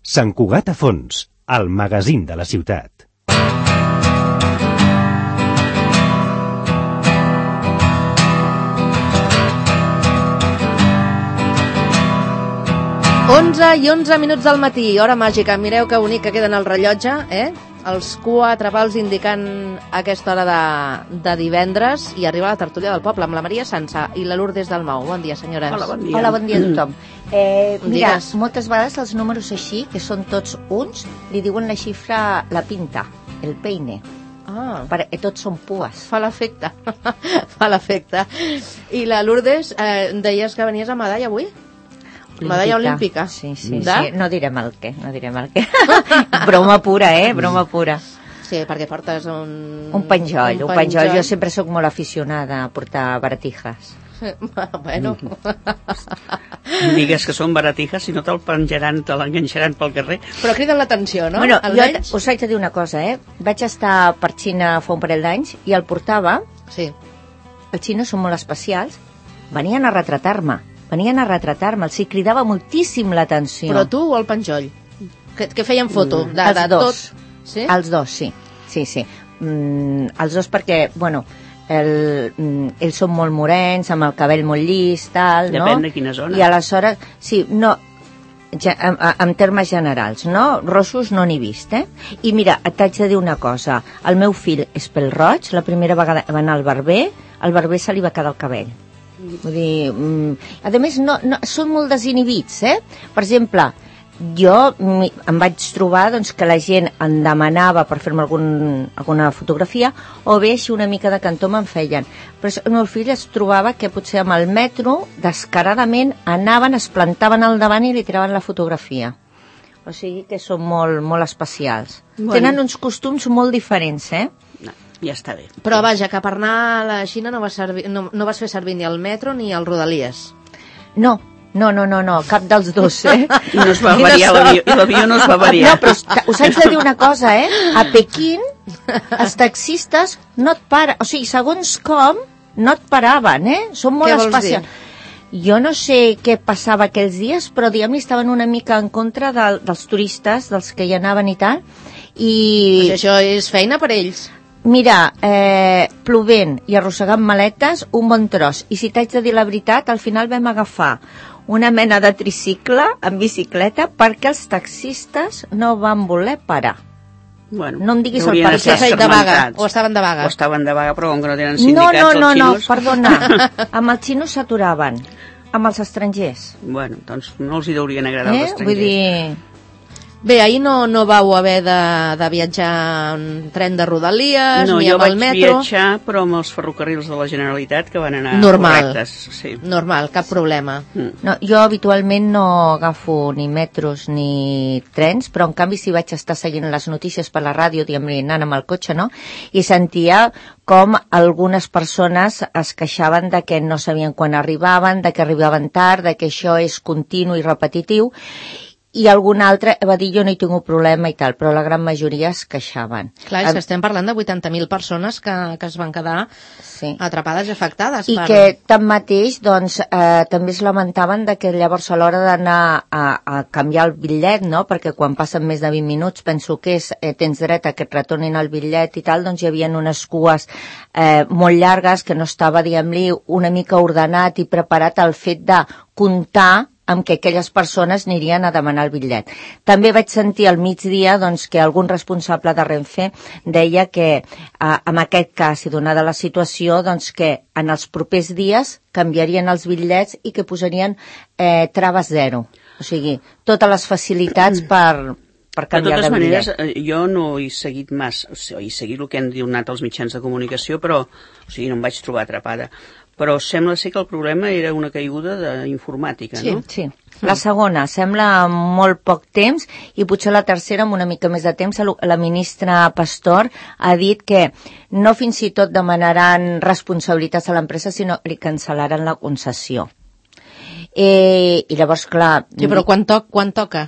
Sant Cugat a fons, el magazín de la ciutat. Onze i 11 minuts del matí, hora màgica. Mireu que bonic que queden el rellotge, Els 4 pals indicant aquesta hora de divendres, i arriba la tertúlia del poble amb la Maria Sansa i la Lourdes Dalmau. Bon dia, senyores. Hola, bon dia. Hola, bon dia a tothom. Mira, Digues. moltes vegades els números així, que són tots uns, li diuen la xifra la pinta, el peine. Perquè tots són pues. Fa l'efecte. Fa l'efecte. I la Lourdes, deies que venies a medalla avui? Medalla olímpica. Sí. No direm el què, broma pura, broma pura. Sí, perquè portes un penjoll. Jo sempre sóc molt aficionada a portar baratijas. Bueno. Digues que són baratijas, si no te'l penjaran, te l'enganxaran pel carrer. Però criden l'atenció, no? Bueno, jo us haig de dir una cosa, Vaig estar per Xina fa un parell d'anys i el portava. Sí. Els xinos són molt especials. Venien a retratar-me, els hi cridava moltíssim l'atenció. Però tu o el penjoll? Que feien foto? Els dos. Sí? Els dos, sí. Els dos perquè, bueno, ells són molt morens, amb el cabell molt llis, tal, no? Depèn de quina zona. I aleshores, sí, no, en termes generals, no? Rossos no n'he vist, I mira, t'haig de dir una cosa. El meu fill és pèl-roig, la primera vegada va anar al barber se li va quedar el cabell. Vull dir, a més, no, són molt desinhibits, Per exemple, jo em vaig trobar doncs, que la gent em demanava per fer-me alguna fotografia, o bé així una mica de cantó me'n feien. Però el meu fill es trobava que potser amb el metro, descaradament, anaven, es plantaven al davant i li tiraven la fotografia. O sigui que són molt, molt especials. Bueno. Tenen uns costums molt diferents, Ja està bé. Però vaja, que per anar a la Xina no vas fer servir ni el metro ni el Rodalies. No, cap dels dos, I no es va variar l'avió, i l'avió no es va variar. No, però us haig de dir una cosa, A Pequín, els taxistes no et paren, o sigui, segons com, no et paraven, Són molt especials. Jo no sé què passava aquells dies, però diguem-ne estaven una mica en contra dels turistes, dels que hi anaven i tal, i... Això és feina per ells. Mira, plovent i arrossegant maletes, un bon tros. I si t'haig de dir la veritat, al final vam agafar una mena de tricicle en bicicleta perquè els taxistes no van voler parar. Bueno, no em diguis el per què. De vaga, o estaven de vaga. O estaven de vaga, però com que no tenen sindicats els xinos... No, perdona. Amb els xinos s'aturaven, amb els estrangers. Bueno, doncs no els hi deurien agradar els estrangers. Vull dir... Bé, ahir no vau haver de viatjar en tren de Rodalies, ni amb el metro. No, jo vaig viatjar, però amb els ferrocarrils de la Generalitat, que van anar correctes. Sí. Normal, cap problema. No, jo habitualment no agafo ni metros ni trens, però en canvi si vaig estar seguint les notícies per la ràdio, diguem-ne, anant amb el cotxe, no? I sentia com algunes persones es queixaven de que no sabien quan arribaven, de que arribaven tard, de que això és continu i repetitiu, i algun altre va dir jo no hi tinc un problema i tal, però la gran majoria es queixaven. Clar, és que estem parlant de 80.000 persones que es van quedar atrapades i afectades. I que tanmateix doncs, també es lamentaven de que llavors a l'hora d'anar a canviar el bitllet, no? Perquè quan passen més de 20 minuts penso que tens dret a que et retornin el bitllet i tal, doncs hi havia unes cues molt llargues que no estava, diguem-li, una mica ordenat i preparat al fet de comptar amb què aquelles persones anirien a demanar el bitllet. També vaig sentir al migdia doncs, que algun responsable de Renfe deia que en aquest cas, i donada la situació, doncs, que en els propers dies canviarien els bitllets i que posarien traves zero. O sigui, totes les facilitats per canviar de bitllet. De totes maneres, jo no he seguit massa, he seguit el que han donat els mitjans de comunicació, però no em vaig trobar atrapada. Però sembla ser que el problema era una caiguda d'informàtica, no? Sí. La segona, sembla molt poc temps, i potser la tercera amb una mica més de temps. La ministra Pastor ha dit que no fins i tot demanaran responsabilitats a l'empresa, sinó li cancel·laran la concessió. I llavors, clar... Sí, però quan toca?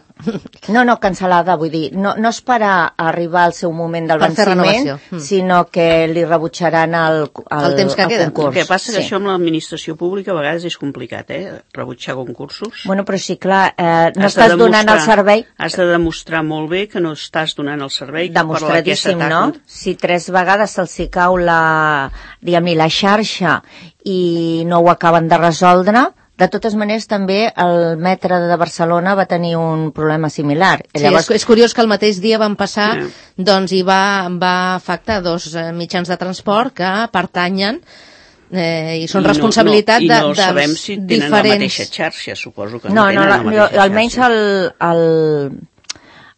No, cancel·lada, vull dir, no esperar a arribar al seu moment del Per fer venciment, sinó que li rebutjaran el temps que queda. concurs. El que passa que això amb l'administració pública a vegades és complicat, rebutjar concursos. Bueno, però sí, clar, no estàs donant el servei... Has de demostrar molt bé que no estàs donant el servei. Demostradíssim, no? Si 3 vegades se'ls hi cau la xarxa i no ho acaben de resoldre. De totes maneres, també el metro de Barcelona va tenir un problema similar. Sí, llavors... és curiós que el mateix dia van passar, doncs hi va afectar 2 mitjans de transport que pertanyen i són responsabilitat de no sabem si tenen la mateixa xarxa, suposo que no tenen la mateixa xarxa. Almenys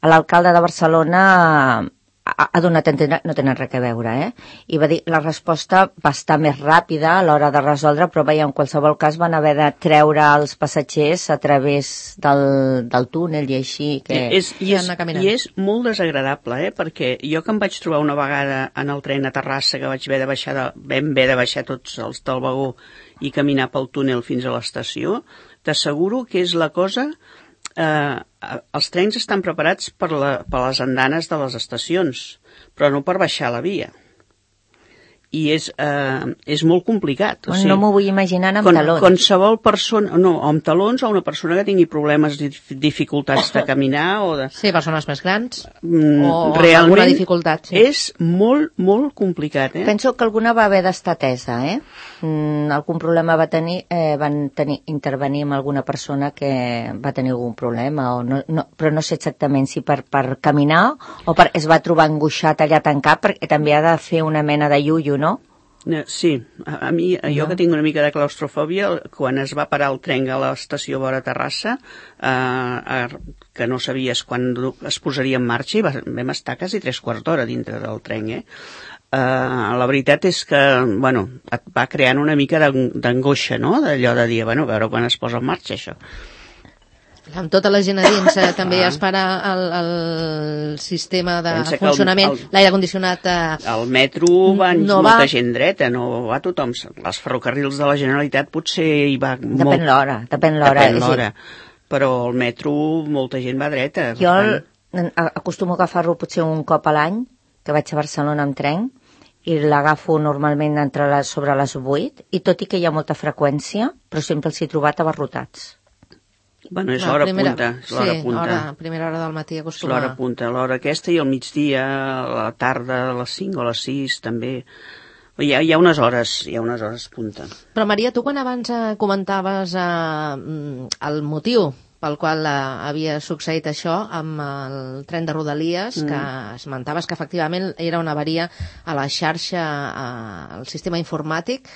l'alcalde de Barcelona ha donat a entendre, no tenen res a veure, i va dir la resposta va estar més ràpida a l'hora de resoldre, però veia, en qualsevol cas van haver de treure els passatgers a través del túnel i així que... I és molt desagradable, perquè jo que em vaig trobar una vegada en el tren a Terrassa, que vam haver de baixar tots els del vagó i caminar pel túnel fins a l'estació, t'asseguro que és la cosa... els trens estan preparats per les andanes de les estacions, però no per baixar la via. I és molt complicat. No m'ho vull imaginar amb talons. Qualsevol persona, amb talons o una persona que tingui problemes, dificultats de caminar o de... Sí, persones més grans o alguna dificultat. Sí. És molt, molt complicat. Penso que alguna va haver d'estar atesa, algun problema van intervenir amb alguna persona que va tenir algun problema, però no sé exactament si per caminar o es va trobar angoixat allà tancat, perquè també ha de fer una mena de iuio, no? Sí, jo que tinc una mica de claustrofòbia, quan es va parar el tren a l'estació vora Terrassa, que no sabies quan es posaria en marxa, i vam estar quasi 3/4 d'hora dintre del tren, la veritat és que, et va creant una mica d'angoixa, no?, d'allò de dir, a veure quan es posa en marxa això. Amb tota la gent a dins també es para el sistema de funcionament, l'aire condicionat... Al metro va molta gent dreta, no va tothom. Els ferrocarrils de la Generalitat potser hi va molt... Depèn l'hora. Però al metro molta gent va dreta. Jo acostumo a agafar-lo potser un cop a l'any, que vaig a Barcelona amb tren, i l'agafo normalment sobre les 8, i tot i que hi ha molta freqüència, però sempre els he trobat abarrotats. És l'hora punta. Primera hora del matí acostuma. És l'hora punta, l'hora aquesta i al migdia, a la tarda, a les 5 o a les 6 també. Hi ha unes hores punta. Però Maria, tu quan abans comentaves el motiu pel qual havia succeït això amb el tren de Rodalies, que esmentaves que efectivament era una avaria a la xarxa, al sistema informàtic,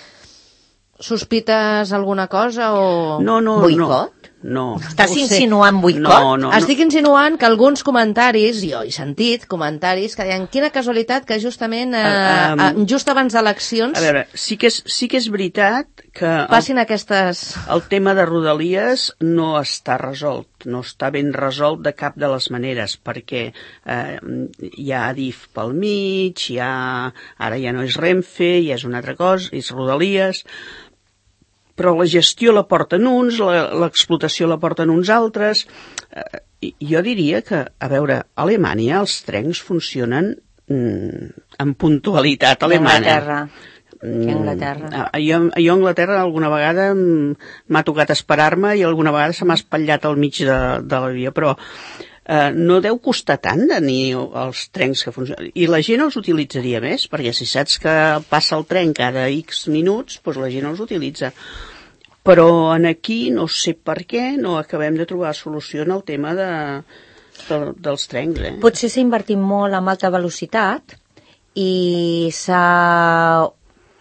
sospites alguna cosa o... No. Boicot? No. Estàs insinuant boicot? No. Estic insinuant que alguns comentaris, jo he sentit comentaris que deien quina casualitat que justament just abans d'eleccions... A veure, sí que és veritat que... Passin aquestes... El tema de Rodalies no està resolt, no està ben resolt de cap de les maneres, perquè hi ha Adif pel mig, ara ja no és Renfe, ja és una altra cosa, és Rodalies... però la gestió la porten uns, l'explotació la porten uns altres. Jo diria que, a veure, a Alemanya els trens funcionen amb puntualitat alemana. Anglaterra. Jo a Anglaterra alguna vegada m'ha tocat esperar-me i alguna vegada se m'ha espatllat al mig de la via, però no deu costar tant tenir els trens que funcionen. I la gent els utilitzaria més, perquè si saps que passa el tren cada X minuts, doncs la gent els utilitza. Però aquí no sé per què no acabem de trobar solució en el tema dels trens. Potser s'ha invertit molt en alta velocitat i s'ha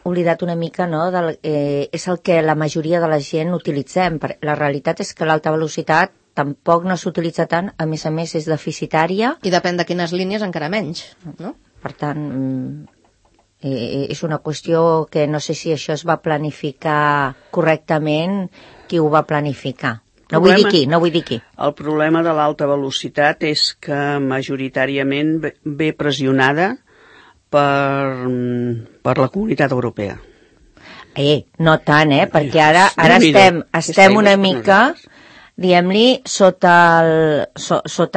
oblidat una mica, no? És el que la majoria de la gent utilitzem. La realitat és que l'alta velocitat tampoc no s'utilitza tant, a més és deficitària. I depèn de quines línies encara menys, no? Per tant, és una qüestió que no sé si això es va planificar correctament, qui ho va planificar. No vull dir qui. El problema de l'alta velocitat és que majoritàriament ve pressionada per la Comunitat Europea. No tant, perquè ara estem una mica, diguem-li, sota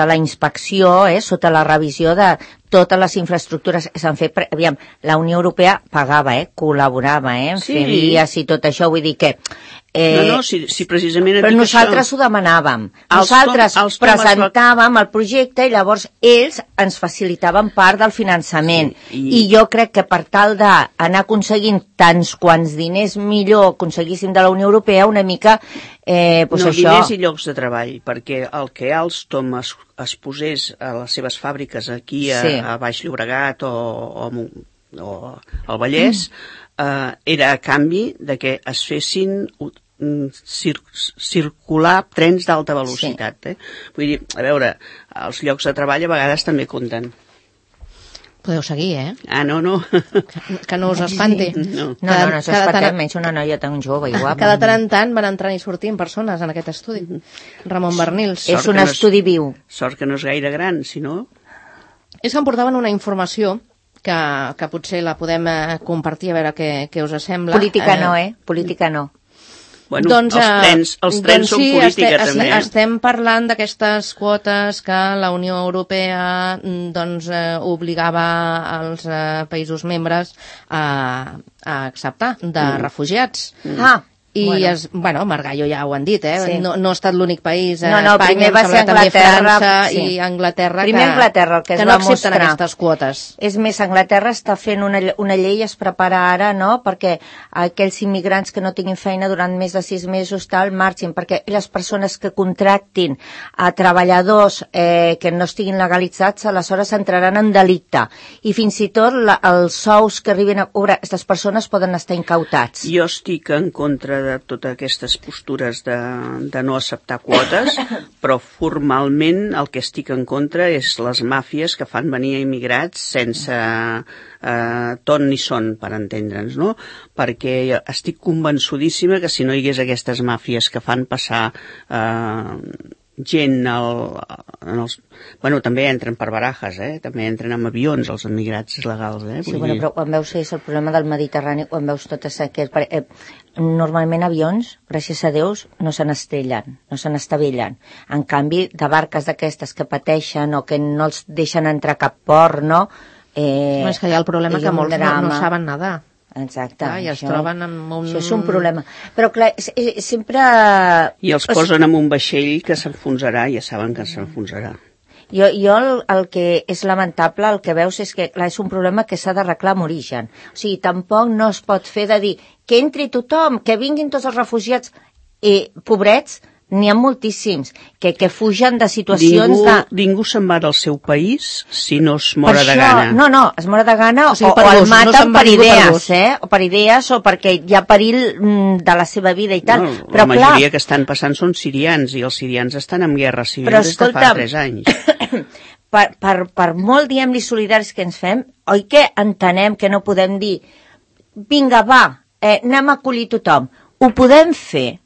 la inspecció, sota la revisió de totes les infraestructures que s'han fet. Aviam, la Unió Europea pagava, col·laborava, en fer vies i tot això, vull dir que... si precisament... Però nosaltres ho demanàvem. Nosaltres presentàvem el projecte i llavors ells ens facilitaven part del finançament. I jo crec que per tal d'anar aconseguint tants quants diners millor aconseguíssim de la Unió Europea, una mica... diners i llocs de treball, perquè el que Alstom es posés a les seves fàbriques aquí a Baix Llobregat o al Vallès, era a canvi de que es fessin circular trens d'alta velocitat. Vull dir, a veure, els llocs de treball a vegades també compten. Podeu seguir, no. Que no us espanti. No s'espantem, menys una noia tan jove i guapa. Cada tant en tant van entrant i sortint persones en aquest estudi. Ramon Bernils. És un estudi viu. Sort que no és gaire gran, si no... És que em portaven una informació que potser la podem compartir, a veure què us sembla. Política no, Política no. Bueno, els trens són política, també. Estem parlant d'aquestes quotes que la Unió Europea obligava als països membres a acceptar de refugiats. I, Margallo ja ho han dit, no ha estat l'únic país, Espanya, va ser Anglaterra, i Anglaterra que no accepten aquestes quotes. És més, Anglaterra està fent una llei, es prepara ara, no?, perquè aquells immigrants que no tinguin feina durant més de 6 mesos marxin, perquè les persones que contractin a treballadors que no estiguin legalitzats, aleshores entraran en delicte. I fins i tot els sous que arriben a cobrar aquestes persones poden estar incautats. Jo estic en contra de totes aquestes postures de no acceptar quotes, però formalment el que estic en contra és les màfies que fan venir a immigrats sense ton ni son, per entendre'ns, no? Perquè estic convençudíssima que si no hi hagués aquestes màfies que fan passar gent també entren per barajes, també entren amb avions els emigrats legals, però quan veus és el problema del Mediterrani, quan veus totes aquestes... Normalment avions, gràcies a Déu, no se n'estavellen. En canvi, de barques d'aquestes que pateixen o que no els deixen entrar a cap port, no? És que hi ha el problema que molts no saben nedar. Exacte. I es troben amb un... Això és un problema. Però clar, sempre... I els posen en un vaixell que s'enfonsarà, ja saben que s'enfonsarà. Jo el que és lamentable, el que veus és que clar, és un problema que s'ha d'arreglar amb origen. O sigui, tampoc no es pot fer de dir que entri tothom, que vinguin tots els refugiats, pobrets, n'hi ha moltíssims, que fugen de situacions Ningú se'n va del seu país si no es mora de gana. No, es mora de gana o el maten per idees, o per idees o perquè hi ha perill de la seva vida i tal. La majoria que estan passant són sirians i els sirians estan en guerra civil des de fa 3 anys. Per molt, diguem-li, solidaris que ens fem, oi que entenem que no podem dir vinga, va, anem a acollir tothom. Ho podem fer.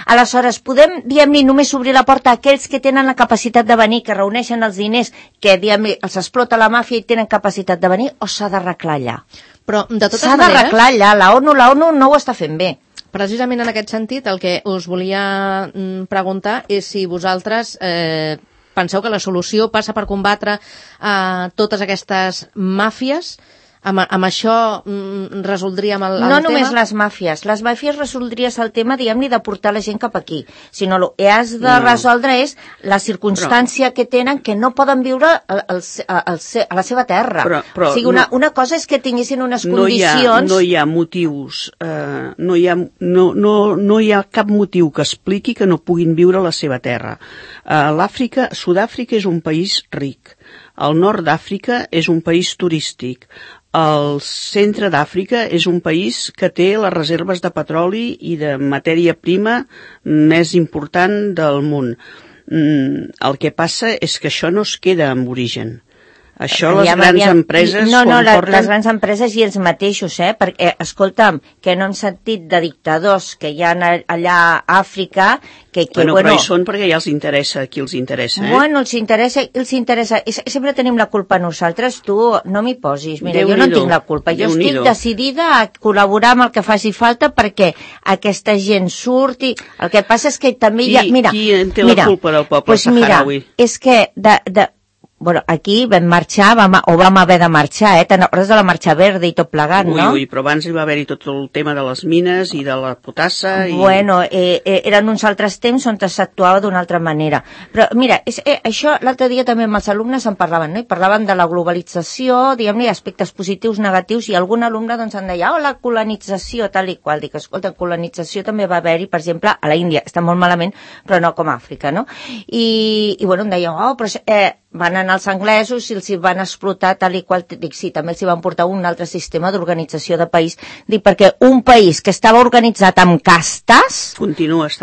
Aleshores, podem, diguem-li, només obrir la porta a aquells que tenen la capacitat de venir, que reuneixen els diners, que, diguem-li, els explota la màfia i tenen capacitat de venir, o s'ha d'arreglar allà? Però, de totes maneres... S'ha d'arreglar allà, la ONU no ho està fent bé. Precisament en aquest sentit, el que us volia preguntar és si vosaltres penseu que la solució passa per combatre totes aquestes màfies. Amb això resoldríem el tema? No només les màfies resoldries el tema, diguem-li, de portar la gent cap aquí, sinó el que has de resoldre és la circumstància que tenen, que no poden viure a la seva terra. O sigui, una cosa és que tinguessin unes condicions... No hi ha motius, no hi ha cap motiu que expliqui que no puguin viure a la seva terra. Sud-àfrica és un país ric, el nord d'Àfrica és un país turístic, el centre d'Àfrica és un país que té les reserves de petroli i de matèria prima més important del món. El que passa és que això no es queda amb origen. Això les grans empreses... No, les grans empreses i ells mateixos, perquè, escolta'm, que no hem sentit de dictadors que hi ha allà a Àfrica però hi són perquè ja els interessa, qui els interessa, Bueno, els interessa. Sempre tenim la culpa nosaltres, tu no m'hi posis. Mira, jo no tinc la culpa. Jo estic decidida a col·laborar amb el que faci falta perquè aquesta gent surti. El que passa és que també hi ha... Qui té la culpa del poble saharaui? És que bueno, aquí vam marxar, vam haver de marxar, te'n recordes de la marxa verda i tot plegat, no? Ui, però abans hi va haver-hi tot el tema de les mines i de la potassa... Bueno, eren uns altres temps on s'actuava d'una altra manera. Però mira, això l'altre dia també amb els alumnes en parlaven, no? I parlaven de la globalització, diguem-ne, aspectes positius, negatius, i algun alumne doncs em deia, la colonització, tal i qual. Dic, escolta, colonització també va haver-hi, per exemple, a la Índia, està molt malament, però no com a Àfrica, no? I bueno, em deien, però... van anar els anglesos i els hi van explotar tal i qual, dic, sí, també els hi van portar un altre sistema d'organització de país, dic, perquè un país que estava organitzat amb castes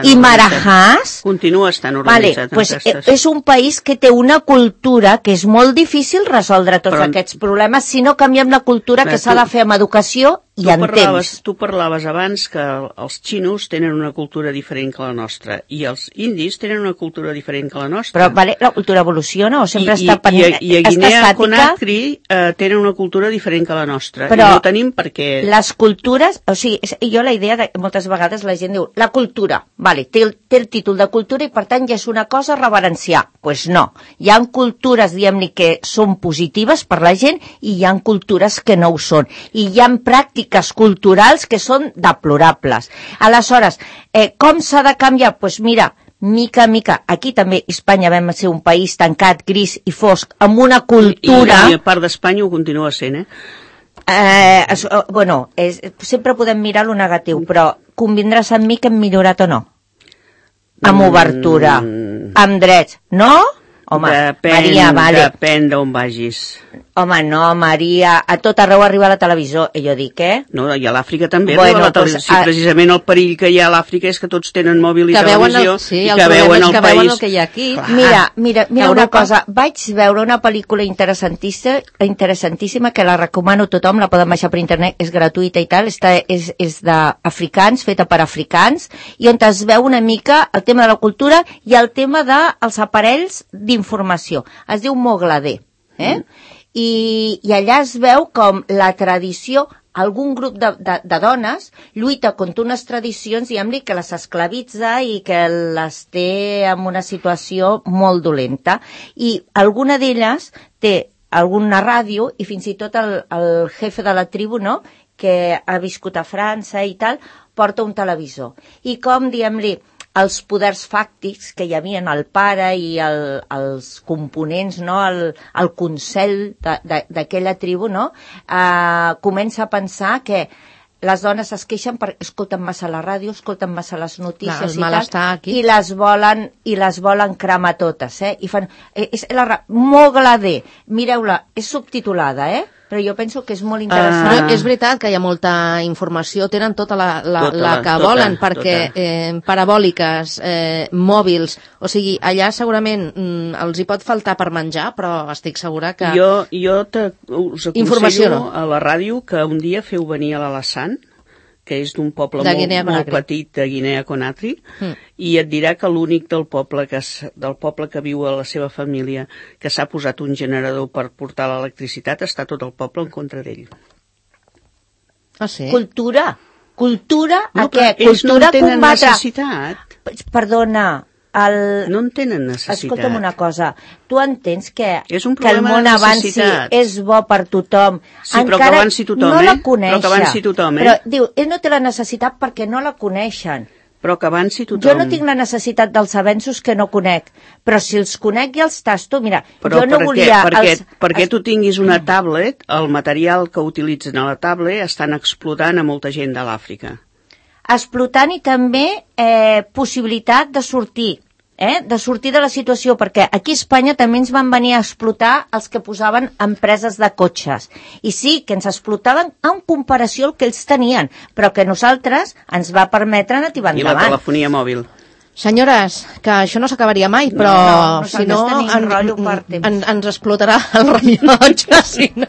i marahàs continua estant organitzat amb castes. És un país que té una cultura que és molt difícil resoldre tots aquests problemes si no canviem la cultura que s'ha de fer amb educació i en temps. Tu parlaves abans que els xinos tenen una cultura diferent que la nostra i els indis tenen una cultura diferent que la nostra. Però la cultura evoluciona o sempre està I a Guinea-Conakry tenen una cultura diferent que la nostra. Però i no tenim perquè... les cultures, o sigui, jo la idea de moltes vegades la gent diu, la cultura, vale, té el títol de cultura i per tant ja és una cosa a reverenciar. Pues no, hi ha cultures, diguem-ne, que són positives per la gent i hi ha cultures que no ho són. I hi ha pràctiques culturals que són deplorables. Aleshores, com s'ha de canviar? Pues mira, mica en mica, aquí també Espanya vam ser un país tancat, gris i fosc, amb una cultura... I a part d'Espanya ho continua sent, bueno, sempre podem mirar lo negatiu, però convindràs amb mi que hem millorat o no? Amb obertura, amb drets, no? Home, Maria, vale. Depèn d'on vagis. Home, no, Maria, a tot arreu arriba la televisió, jo dic, No, i a l'Àfrica també arriba la televisió. Sí, precisament el perill que hi ha a l'Àfrica és que tots tenen mòbil i televisió i que veuen el país. El que hi ha aquí. Mira una cosa, vaig veure una pel·lícula interessantíssima que la recomano a tothom, la poden baixar per internet, és gratuïta i tal, és d'africans, feta per africans, i on es veu una mica el tema de la cultura i el tema dels aparells d'informació. Es diu Mogladé, I allà es veu com la tradició, algun grup de dones lluita contra unes tradicions, diguem-li, que les esclavitza i que les té en una situació molt dolenta. I alguna d'elles té alguna ràdio i fins i tot el jefe de la tribu, no?, que ha viscut a França i tal, porta un televisor. I com, diguem-li, els poders fàctics que hi havia el pare i els components, no? el consell d'aquella tribu, no? Comença a pensar que les dones es queixen perquè escolten massa la ràdio, escolten massa les notícies i les volen cremar totes, I fan... Mogladé, mireu-la, és subtitulada, però jo penso que és molt interessant. Però és veritat que hi ha molta informació, tenen tota la que volen, perquè parabòliques, mòbils, o sigui, allà segurament els hi pot faltar per menjar, però estic segura que... Jo us aconsello a la ràdio que un dia feu venir a l'Alassane, que és d'un poble molt petit de Guinea-Conakry, i et dirà que l'únic del poble que viu a la seva família que s'ha posat un generador per portar l'electricitat, està tot el poble en contra d'ell. Ah, sí? Cultura, no, què? Ells no en tenen necessitat. Perdona, no en tenen necessitat. Escolta'm una cosa, tu entens que el món avanci és bo per tothom. Sí, però que avanci tothom, no la coneixen. Però que avanci tothom, Però diu, ell no té la necessitat perquè no la coneixen. Però que avanci tothom. Jo no tinc la necessitat dels avenços que no conec, però si els conec i els tasto, mira, però jo no volia... Perquè tu tinguis una tablet, el material que utilitzen a la tablet estan explotant a molta gent de l'Àfrica. Explotant i també possibilitat de sortir de la situació, perquè aquí a Espanya també ens van venir a explotar els que posaven empreses de cotxes. I sí, que ens explotaven en comparació al que ells tenien, però que nosaltres ens va permetre anar endavant. I la telefonia mòbil. Senyores, que això no s'acabaria mai, però si no ens explotarà el rellotge, si no.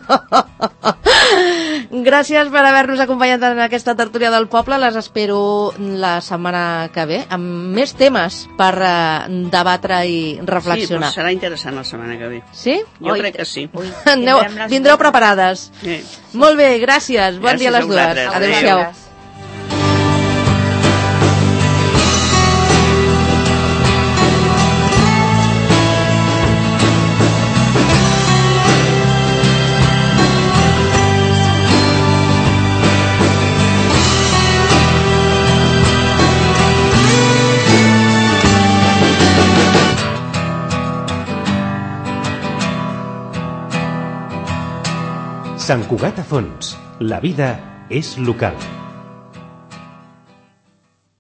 Gràcies per haver-nos acompanyat en aquesta tertúlia del poble. Les espero la setmana que ve amb més temes per debatre i reflexionar. Sí, serà interessant la setmana que ve. Sí? Jo crec que sí. Vindreu preparades. Sí. Molt bé, gràcies. Bon dia a les dues. Adéu-siau. Sant Cugat a Fons. La vida és local.